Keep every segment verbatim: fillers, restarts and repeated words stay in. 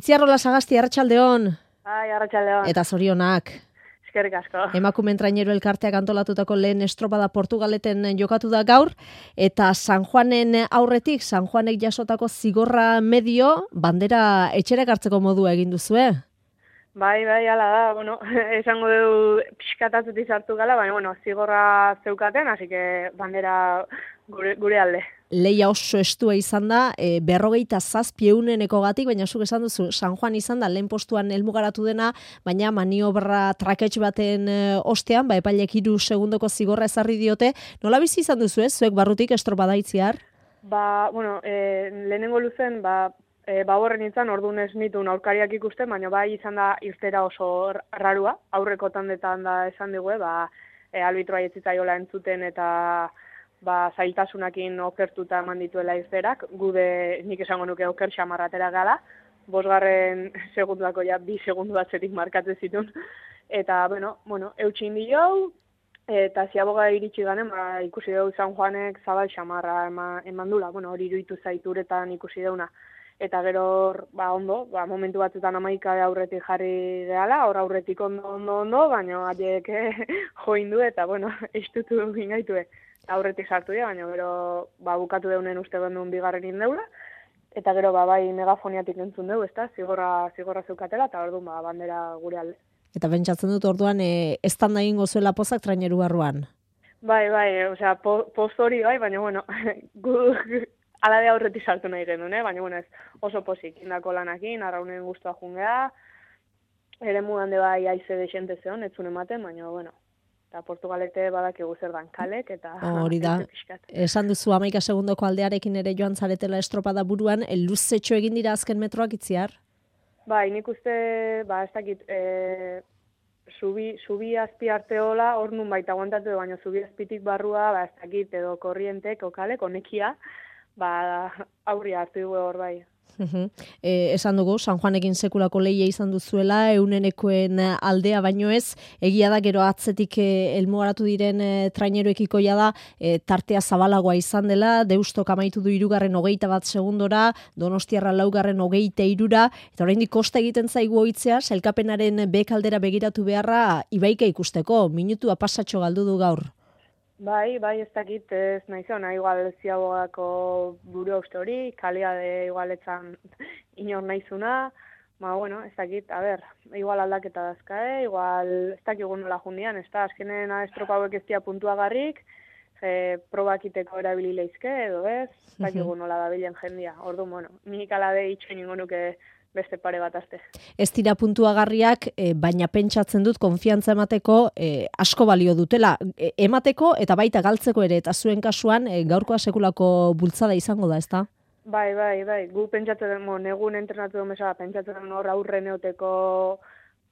Ziarrola Sagasti, arratsaldeon. Bai, arratsaldeon. Eta zorionak. Eskerrik asko. Emakumeen Traineru Elkarteak antolatutako lehen estropada Portugaleten jokatu da gaur, eta San Juanen aurretik, San Juanek jasotako zigorra medio, bandera etxera hartzeko modua egin duzue. Bai, bai, hala da, bueno, esango du pixkatatzuti sartu gala, baina, bueno, zigorra zeukaten, así que bandera gure, gure alde. Leia oso estua izan da, e, berrogeita zazpi euneneko gatik, baina zuk esan duzu, San Juan izan da, lehen postuan helmugaratu dena, baina maniobra traketx baten e, ostean, ba, epailek hiru segundoko zigorra ezarri diote. Nola bizi izan duzu ez, zuek barrutik estropada itziar? Ba, bueno, e, lehenengo luzen, ba, e, baborren nintzen, orduan ez nituen aurkariak ikusten, baina bai izan da irtera oso rarua, aurreko tandetan da esan digue, ba, e, albitroa etzitzaiola entzuten eta ba, zailtasunakin okertuta eman dituela izterak, gude nik esango nuke oker xamarratera gala, bosgarren segundako ja bi segundu batzetik markatzen zituen, eta, bueno, bueno eutxin dio, eta ziaboga iritsi ganen, ba, ikusi dugu San Juanek zabal xamarra eman, eman dula, bueno, hori iruditu zaituretan ikusi deuna. Eta gero, ba, ondo, ba, momentu batzutan amaika aurretik jarri gehala, hor aurretik ondo, ondo, ondo, baina adiek joindu eta, bueno, estutu ingaitue. Aurretik sartu dira, baina gero ba, bukatu deunen uste duen bigarren indeula, eta gero ba, bai megafoniatik entzun dugu, ezta, zigorra, zigorra zeukatela, eta orduan ba, bandera gure alde. Eta pentsatzen dut orduan, e, estan da egingo zuela pozak Traineru barruan? Bai, bai, osea, po, poz hori bai, baina bueno, gu alade aurretik sartu nahi genuen, eh? Baina bueno, ez oso pozik, indako lanakin, arraunen guztua jungea, ere mudan de bai aize desente zeon, etzun ematen, baina bueno, eta Portugalete badakigu zer dan kalek, eta... Hori da, esan duzu hamaika segundoko aldearekin ere joan zaretela estropada buruan, luzetxo egin dira azken metroak itziar? Bai, nik uste, ba, ez dakit, e, zubi, zubi azpi arteola, hor nun baita aguantatu, baina zubi azpitik barrua, ba, ez dakit, edo korrientek, okalek, onekia, ba, aurri hartu dugu hor bai. Uh-huh. E, esan dugu, San Juanekin sekulako leia izan duzuela, eunenekoen aldea baino ez, egia da gero atzetik e, elmugaratu diren e, traineruekikoia da, e, tartea zabalagoa izan dela, Deustok amaitu du hirugarren hogeita bat segundora, Donostiarra laugarren hogeita hirura, eta oraindik kosta egiten zaigu ohitzea, sailkapenaren bekaldera begiratu beharra ibaika ikusteko, minutua pasatxo galdu du gaur. Bai, bai, ez dakit, ez nahi zona, igual ziabogako buru uste hori, kalia de igualetzan inor nahizuna, ma, bueno, ez dakit, a ber, igual aldaketa dazkae, igual ez dakigun nola jundian, ez da, azkenen estropa hauek ez dia puntuagarrik, e, probakiteko erabili leizke, edo ez, ez dakigun nola dabilen jendia, ordu, bueno, nik alade itxoin ingo nuke beste pare bat azte. Ez dira puntuagarriak, e, baina pentsatzen dut konfiantza emateko e, asko balio dutela. E, emateko eta baita galtzeko ere, eta zuen kasuan e, gaurkoa sekulako bultzada izango da, ezta? Bai, bai, bai. Gu pentsatzen, mo, negun entrenatu den bezala, pentsatzen hor aurre neoteko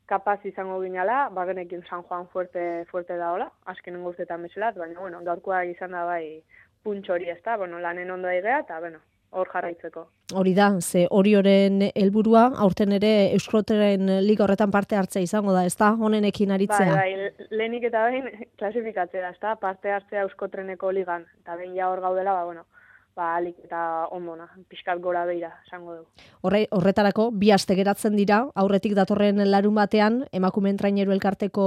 kapaz izango ginala, bagenekin San Juan fuerte, fuerte da hola, azkenen guztetan bezelat, baina, bueno, gaurkoa izan da bai puntxo hori, ezta? Bueno, lanen ondo egea, eta, bueno, hor jarraitzeko. Hori da, ze hori horren helburua aurten ere Euskotren liga horretan parte hartzea izango da, ezta? Honenekin aritzea. Bai, bai, lehenik eta behin klasifikatzea, ezta? Parte hartzea Euskotreneko ligan, eta behin ja hor gaudela, ba, bueno, ba, alik eta ondona, pixkat gora beira, esango dugu. Horre, horretarako, bi aste geratzen dira, aurretik datorren larun batean, Emakumeen Traineru Elkarteko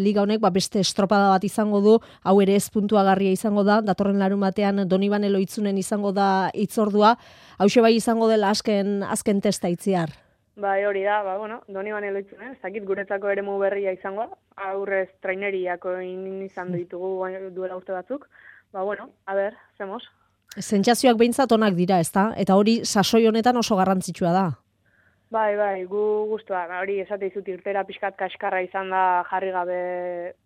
liga honek, ba, beste estropada bat izango du, hau ere ez puntuagarria izango da, datorren larun batean Donibane Loitzunen izango da hitzordua, hauxe bai izango dela azken, azken testa itziar. Bai, hori da, ba, bueno, Donibane Loitzunen, ez dakit guretzako eremu berria izango da, aurrez traineriako izan ditugu duela urte batzuk, ba, bueno, a ber, zemos. Sentsazioak behintzat onak dira, ezta? Eta hori sasoi honetan oso garrantzitsua da. Bai, bai, gu guztua. Hori esate izut irtera pixkat kaskarra izan da jarri gabe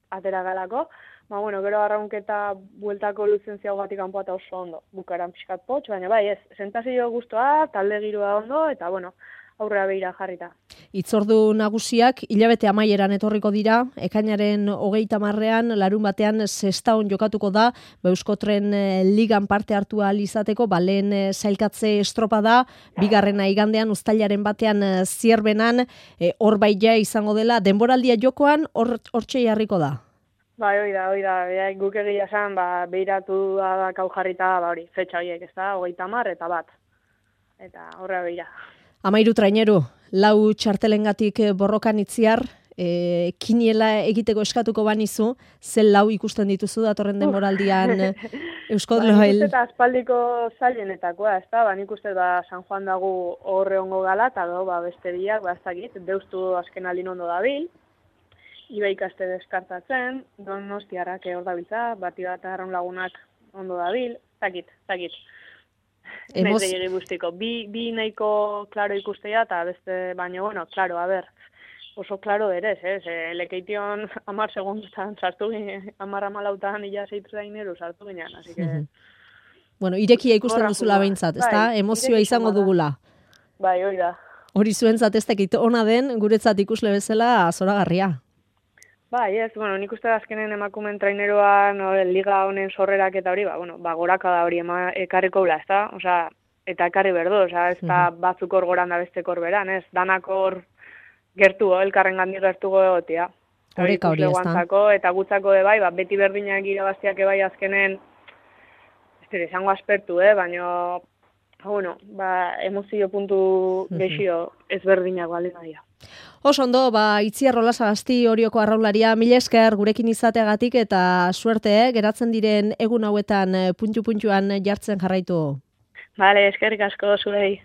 atera galako. Ba, bueno, gero arraunketa bueltako luzentziago batik kanpoa oso ondo. Bukaran pixkat potx, baina bai, ez, sentsazio guztua, talde giroa ondo, eta bueno, aurrera behira jarrita. Itzordu nagusiak hilabete amaieran etorriko dira, ekainaren hogeita marrean, larun batean Sestaon jokatuko da, Euskotren ligan parte hartu ahal izateko, ba, lehen sailkatze estropa da, bigarrena igandean, uztailaren batean Zierbenan, hor e, baita izango dela, denboraldia jokoan, hor hortxe jarriko da. Bai, hoi da, hoi da, ja, guk egia esan, ba, behiratu da kau jarrita, ba, hori, fetxa horiek, ez da, hogeita mar eta bat. Eta horra behira. Amairu traineru, lau txartelengatik borrokan itziar, e, kiniela egiteko eskatuko banizu, zel lau ikusten dituzu datorren denboraldian Eusko Ba, nik Loel. uste eta aspaldiko zailenetakoa, ez da, ba, nik uste ba, San Juan dago horre ongo gala, eta do, ba, beste biak, ba, ez dakit, deustu azken alin ondo dabil, iba ikaste deskartatzen, Donostiarrak hor dabiltza, bati bat arraun lagunak ondo dabil, ez dakit, ez dakit. Emoz... Naiz gehiago guztiko, bi, bi nahiko klaro ikustea, eta beste, baina, bueno, klaro, a ber, oso klaro ere, ez, eh? Lekeition amar segundutan sartu ginen, amar amalautan ila zeitu zaineru sartu ginen, así que... Mm-hmm. Bueno, irekia ikusten duzula behintzat, ez da? Bai, Emozioa izango dugula. Bai, hori da. Hori zuentzat ez dakit ona den, guretzat ikusle bezala zoragarria. Bai, ez, bueno, nik uste azkenen emakumen traineroa, no, liga honen sorrerak eta hori, ba, bueno, ba, goraka da hori ema, ekarriko bla, ez da? Osea, eta ekarri berdu, osea, ez da Mhm. batzuk hor goran da bestek hor beran, ez? Danak hor gertu, elkarren gandik gertuko egotia. Horeka hori, ez da? Guantzako, eta gutzako de bai, ba, beti berdinak irabaztiak ebai azkenen, ez dira, izango aspertu, eh? Baina, bueno, ba, emozio puntu gexio ezberdinak bali naia. Oso ondo, ba, Itziar Olasagasti Orioko arraularia, mila esker gurekin izateagatik eta suerte, eh? Geratzen diren egun hauetan puntu-puntuan jartzen jarraitu. Bale, eskerrik asko zuei.